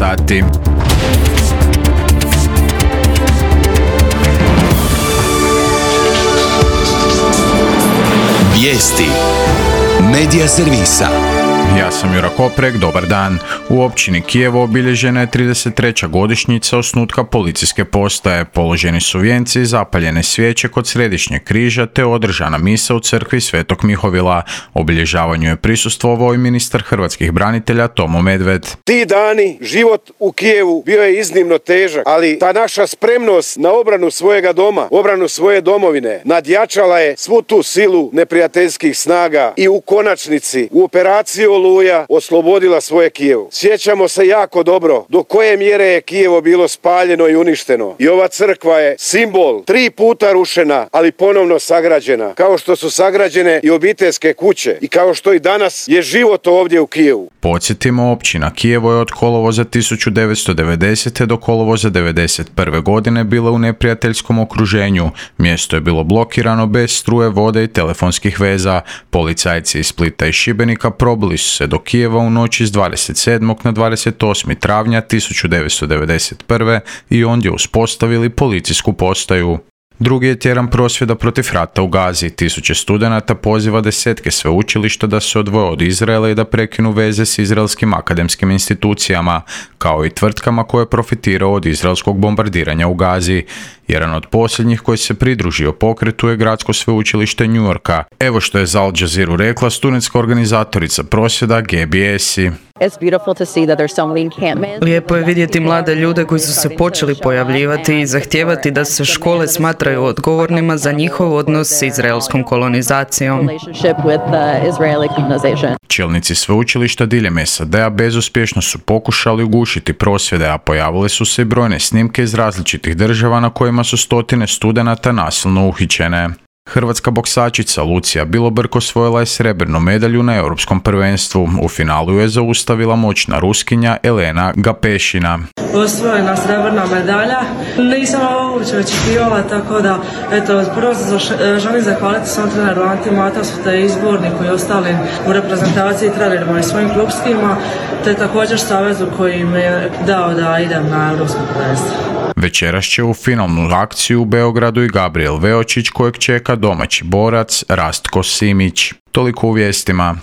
sati. Vijesti Medija servisa. Ja sam Jura Koprek, dobar dan. U općini Kijevo obilježena je 33. godišnjica osnutka policijske postaje. Položeni su vijenci, zapaljene svijeće kod središnjeg križa te održana misa u crkvi Svetog Mihovila. Obilježavanju je prisustvovao i ministar hrvatskih branitelja Tomo Medved. Ti dani, život u Kijevu bio je iznimno težak, ali ta naša spremnost na obranu svojega doma, obranu svoje domovine, nadjačala je svu tu silu neprijateljskih snaga i u konačnici u operaciji Oluja oslobodila svoje Kijevo. Sjećamo se jako dobro do koje mjere je Kijevo bilo spaljeno i uništeno. I ova crkva je simbol 3 puta rušena, ali ponovno sagrađena. Kao što su sagrađene i obiteljske kuće i kao što i danas je život ovdje u Kijevu. Podsjetimo, općina Kijevo je od kolovoza 1990. do kolovoza 1991. godine bila u neprijateljskom okruženju. Mjesto je bilo blokirano bez struje, vode i telefonskih veza. Policajci iz Splita i Šibenika probili su se do Kijeva u noći s 27. na 28. travnja 1991. i ondje uspostavili policijsku postaju. Drugi je tjedan prosvjeda protiv rata u Gazi. Tisuće studenata poziva desetke sveučilišta da se odvoje od Izraela i da prekinu veze s izraelskim akademskim institucijama, kao i tvrtkama koje profitiraju od izraelskog bombardiranja u Gazi. Jedan od posljednjih koji se pridružio pokretu je Gradsko sveučilište New Yorka. Evo što je za Al Jazeera rekla studentska organizatorica prosvjeda Gaby Esi. Lijepo je vidjeti mlade ljude koji su se počeli pojavljivati i zahtijevati da se škole smatraju odgovornima za njihov odnos s izraelskom kolonizacijom. Čelnici sveučilišta diljem SAD-a bezuspješno su pokušali ugušiti prosvjede, a pojavile su se i brojne snimke iz različitih država na kojima su stotine studenata nasilno uhićene. Hrvatska boksačica Lucija Bilobrk osvojila je srebrnu medalju na Europskom prvenstvu. U finalu je zaustavila moćna Ruskinja Elena Gapešina. Osvojena srebrna medalja. Nisam ovo uopće očekivala, tako da prvo se želim zahvaliti svom treneru Anti Matasu te izborniku i ostalim u reprezentaciji trenerima i svojim klubskima, te također savezu koji mi je dao da idem na Europsko prvenstvo. Večeras će u finalnu akciju u Beogradu i Gabriel Veočić, kojeg čeka domaći borac Rastko Simić. Toliko u vijestima.